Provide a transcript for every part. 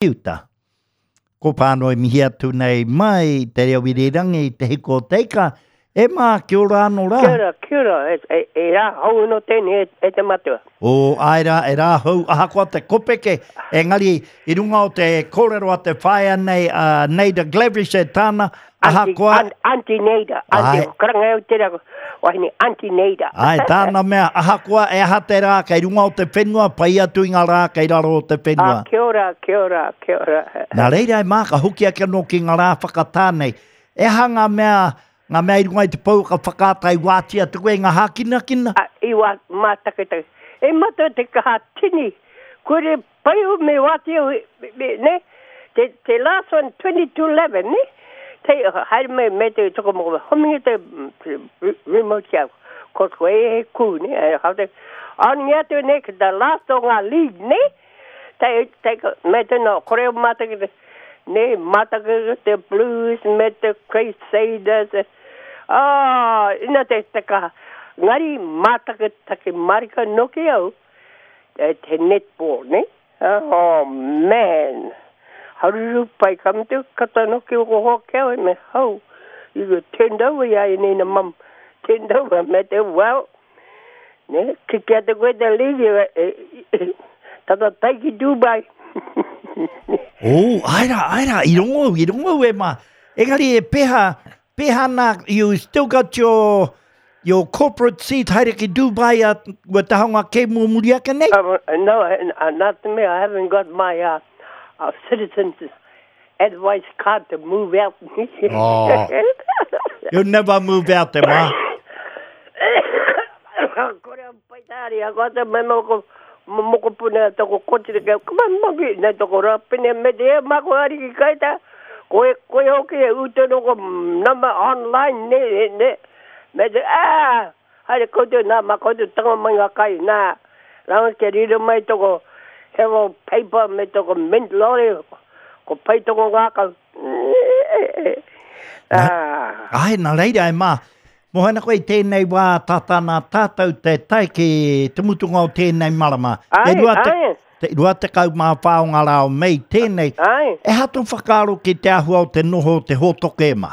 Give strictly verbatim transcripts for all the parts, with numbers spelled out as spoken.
Uta. Ko pānoi mihi atu nei mai te reo irirangi te hiko o te ika. E mā, kia ora anō rā. Kia ora, kia ora, e, e, e rā hou anō tēnei e, e te matua. O, āe rā, e rā hou, ahakoa te kopeke, engari i runga o te kōrero a te whaea nei, a Neida Glavish e tāna, ahakoa... Auntie, Auntie Neida, Auntie, karanga au tērā, wahine, Auntie Neida. Āe, tāna mea, ahakoa e aha te rā kei runga o te whenua, pai atu i ngā rā kei raro o te whenua. Ah, kia ora, kia ora, kia ora. Nā reira e mā, ka hoki ake anō ki ngā rā whakatā nei. E aha ngā mea, ngā mea i runga i te pouaka whakaata i wātia atu koe i ngā hākinakina? A, i wā, mātaketake. E matua te kaha tini, kore pai o me wātia, me, me, ne? Te, te last one, twenty-two eleven, ne? Te, haere mai, me te toko moko, hominga te, te remote kia, ko koe e he kū, ne? E, hau te, an ngia atu, ne, ki the last o ngā league, ne? Te, te, me te no, kore o mātaketake, ne, mātaketake te Blues, me te Crusaders, ah, ina te, te kaha. Ngari mātaketake marika noki au, te, te netball, ne? Oh, man. Haruru pai ka mutu, kata noki o ko hoa kia me hau. You go turned over ia i nina mum. Turned over, me te, well, ne, kiki atu koe te league, e, e, tata tai ki Dubai. Oh, ai rā, ai rā, i rongo au, i rongo au e mā. Engari e peha, peha nā, you still got your, your corporate seat haere ki Dubai a ua taha ngā kēmu o muri ake nei? Um, no, uh, not to me, I haven't got my uh, uh, citizen's advice card to move out. Oh. You'll never move out te mā. Kore au pai tāri, a koa te me moko, mokopuna toko kotira kia, kuma mangi, nei toko rāpene me te e mako ari ki kaita, koe, koe hoki e utono ko nama online, ne, ne, ne, me te, ah, haere koutou nā, mā koutou tanga mai ngā kai, nā, ranga kia riro mai toko hero paper me toko mint lorry, ko pai toko ngākau. Ah. Ai, nā reira e mā, Mohana koe i tēnei wā tata nā tātou te tae ki te mutunga o tēnei marama. Ai, te rua te, ai. Te rua tekau mā whā o ngā rā o Mei tēnei. Ai. E ha tō whakaaro ki te āhua o te noho o te hōtoke e mā?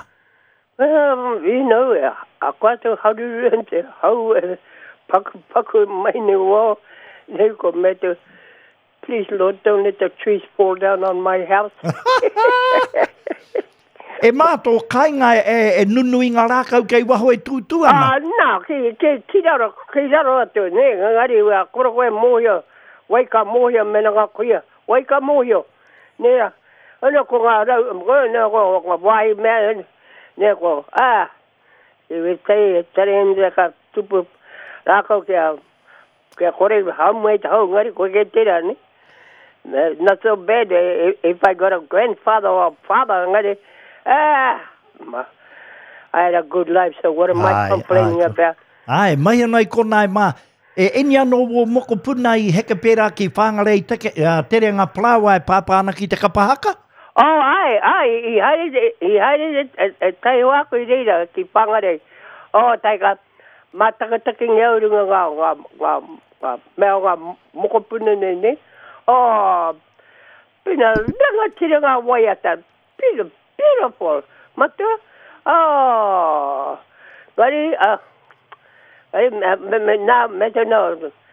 Well, you know, a koa te haruru te hau e paku paku mai ne wā, ne ko me te, please Lord, don't let the trees fall down on my house. E mā tō kāinga e, e nunui ngā rākau kei waho e tūtū ana? Ah, nā, ki, ki, ki raro, ki raro atu, ne, ngari, wea, kore koe mōhio, wai ka mōhio mena ngā kuia, wai ka mōhio, ne, ana ko ngā rau, ne, ko ngā wāhi mea, ne, ko, ah, i we tei, tere hendra ka tupu rākau kia, kia kore haumai te hau, ngari, koe ke tērā, ne? Not so bad if I got a grandfather or a father, ngari, ah, I had a good life, so what am I complaining about? Ai, mai anō i kona e mā. E eni anō wō mokopuna i heke pērā ki Whangarei teke, uh, tere ngā parāoa e pāpā ana ki te kapa haka? Oh, ai, ai, i haere, i haere e, e tai hoako i reira ki Whangarei. Oh, tai ka mātakataki ngā runga ngā, ngā, ngā, ngā, mea ngā mokopuna nei, nei. Oh, pina, rangatira ngā waiata, pina, beautiful. Matua, oh, ngari, ah, ai, me, me, me, nā, me te nā,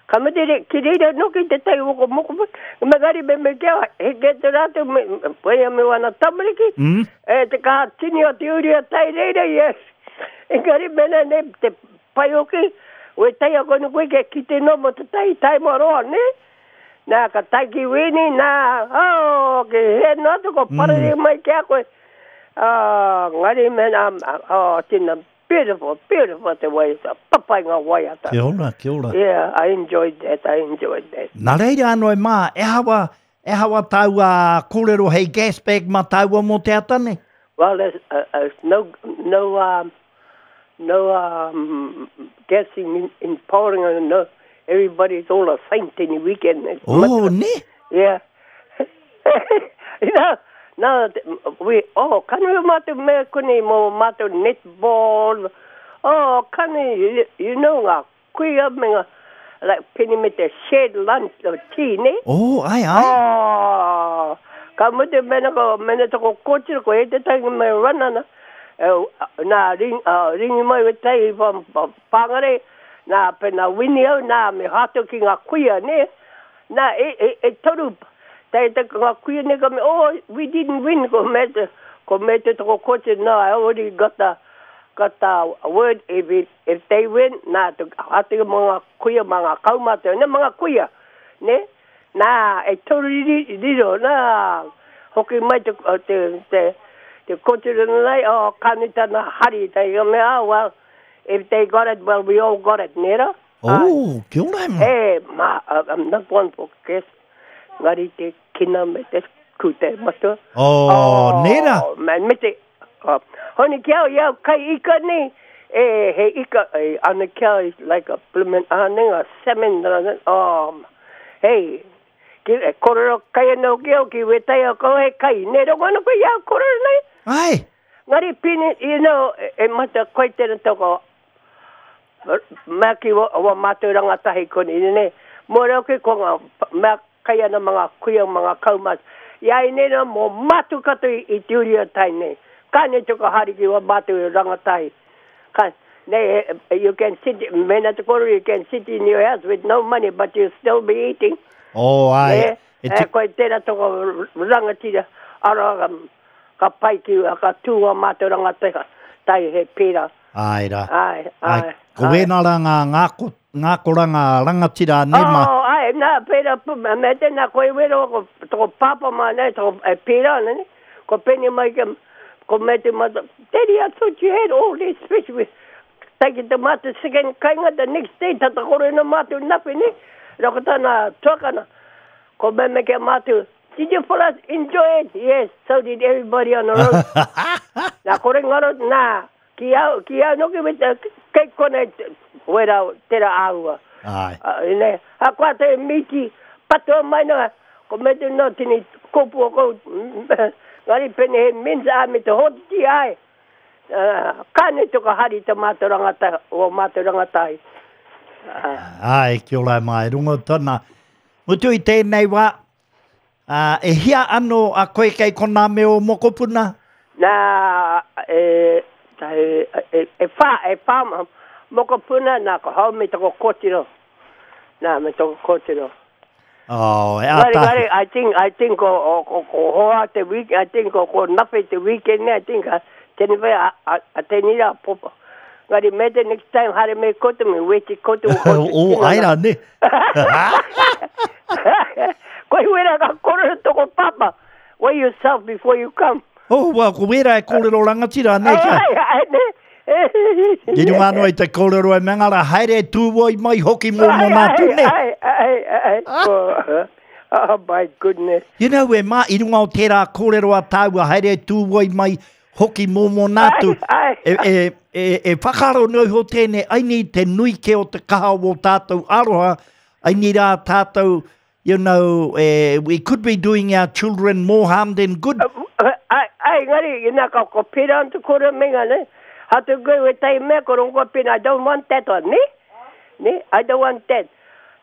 ka me te re, ki reira noki te tai woko mokopuna, me ngari me me kia, he ke te rātou, me, me, me wana tamariki, mm. e te kaha tini o te uri o tai reira, yes. Engari mena ne, te pai hoki, we tai a kono koe ke ki te nomo te tai, tai moroa, ne? Nā, ka tai ki wini, nā, oh, ke he noa tu ko parere mm. mai kia koe. Ah, ngari mena, oh, tina, beautiful, beautiful te waiata, papai ngā waiata. Kia ora, kia ora. Yeah, I enjoyed that, I enjoyed that. Nā reira anō e mā, e hawa, e hawa tāua kōrero hei gas bag mā tāua mō te ata nei? Well, there's, uh, uh, no, no, um, no um, gassing in, in Paoringa, no. Everybody's all a saint in the weekend. Oh, ne? Yeah. You know, no, we, oh, kani o mātou mea kone mō mātou netball. Oh, kani, you, you know ngā kuia me ngā, like penny me te shared lunch or tea, ne? Oh, ai, ai. Oh, Ka mutu mena ko mena toko kotiro ko e te tangi mai ranana. E, nā ring, uh, ringi mai we tai pāngare, nā pena wini au, nā me hato ki ngā kuia, ne? Nā, e, e, e toru, tai te ngā kuia ne ka me, oh, we didn't win, ko me te, ko me te toko kotiro, no, I already got the, got the word, if, it, if they win, nā, te hato ki mga kuia, mga kaumātua, ne, mga kuia, ne? Nā, e toru riro, nā, hoki mai te, te, te, te kotiro nei, oh, kanitana hari, te mea, oh, well, if they got it, well, we all got it, nera? Oh, kia ora ma. E, ma, uh, I'm not one for guess. Ngari te kina me te kute matua. Oh, oh nera. Man, me te, oh, honi kia au, iau kai ika nei, e, he ika, e, ana kia is like a bloomin' ane, a salmon, oh, hey, ki, e, korero kai anō ki au, ki wetai au kau he kai, ne rongo ana koe iau korero nei. Ai. Ngari pini, you know, e, e mata koe tēnā toko, mea ki wa, wa mātou rangatahi koni, ne, mō reo ki ko ngā, mea kai ana mga kuia, mga kaumat. Ia i nena mō mātou katoa i, i te uri o tai nei. Ka ne toko hari ki wa mātou rangatahi. Ka, ne, you can sit, mena te koro, you can sit in your house with no money, but you still be eating. Oh, ai. E, e, koe tēnā toko rangatira, ara, um, ka pai ki, ka tū a mātou rangatahi, tai he pērā. Ai rā. Ai, ai. Ko wēnā rā ngā ngāko, ngākoranga rangatira ne ma. Oh, ai, nā, pērā, me tēnā koe wero, ko toko pāpā mā nei, toko e pērā, ne, ko pene mai ke, ko me te mata, Daddy, I thought you had all this fish with, take it to mātou second kainga, the next day, tata kore na mātou napi, ne, rako tāna tuakana, ko me me ke mātou, did you fellas enjoy it? Yes, so did everybody on the road. Nā, kore ngaro, nā, ki au, ki au noki me te, kei kona wera, tera āua. Ai. Uh, ne, a koa te miti, patua mai noa, ko me te no tini kopu o kou, ngari pene he minsa a me te hotiti ai. Uh, kāne toka hari te mātou rangatahi, o mātou rangatahi. Uh. Ai, kia ora mai, rongo tona. Mutu i tēnei wā, uh, e hia anō a koe kei kona me o mokopuna? Nā, e, e, e, e whā, e whā mokopuna, nā, ko hau me toko kotiro. Nā, me toko kotiro. Oh, e Ngari, ata. ngari, I think, I think ko, ko, ko hoa te week, I think ko, ko nape te weekend, I think, a, tēnei whai, a, a, a tēnei rā popa. Ngari, me te next time, hare me kotu, me weti kotu, kotu. Oh, ai rā, ne. Koe wera ka korero toko papa. Weigh yourself before you come. Oh, well, ko wera e kōrero rangatira, ne, kia. Ai, ai, ne. Ki runga anō i te kōrero e mengara, haere tūwoi mai hoki mō mō nā tune. Ai, ai, ai, oh, oh my goodness. You know, e mā, i runga o tērā kōrero a tāua, haere tūwoi mai hoki mō mō nā tu. Ai, ai. E, e, e, e whakaro noi ho tēnei, ai ni te nui ke o te kaha o tātou aroha, ai ni rā tātou, you know, eh, we could be doing our children more harm than good. Ai, ai, ngari, ina ka ko pera antu kore menga, ne? Hatu koe we tai mea ko rongo pina, I don't want that one, ne? Ne? I don't want that.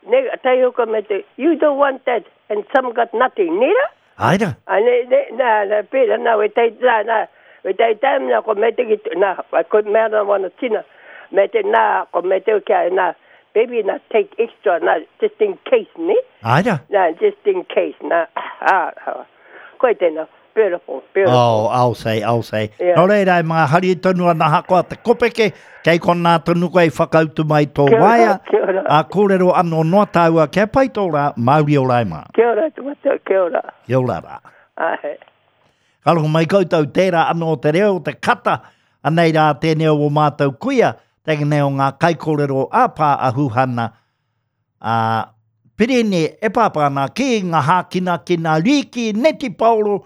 Ne, tai hoko me te, you don't want that, and some got nothing, ne ra? Ai rā. Ai, ne, ne, nā, nā, pera, nā, we tai, nā, nā, we tai time, nā, ko me te ki, nā, ko mea nā wana tina, me te, nā, ko me te kia, nā, baby, nā, take extra, nā, just in case, ne? Ai rā. Nā, just in case, nā, ah, ah, koe tēnā, beautiful, beautiful. Oh, I'll say, I'll say. Yeah. Nō reira, e mga hari tonu ana hakoa te kopeke, kei konā tonu koe whakautu mai tō Kia ora, waea, kia ora. a kōrero anō noa tāua, kia pai tō rā, Māori ora e mā. Kia ora, te matua, kia ora. Kia ora rā. Ai. Ka rongo mai koutou tērā anō te reo, te kata, anei rā tēnei o mātou kuia, tēnei o ngā kaikōrero a pā a Huhana, a Pirene e pāpā ana ki ngā hākina ki ngā rīki, neti paoro,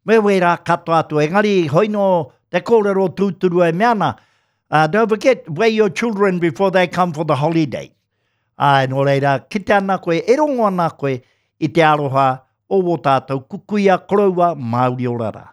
me wērā katoa atu. Engari, hoino te kōrero tūturu e mea ana. Uh, don't forget, weigh your children before they come for the holiday. Ai, nō reira, kite ana koe, e rongo ana koe i te aroha o wō tātou kukuia koroua Māori ora rā.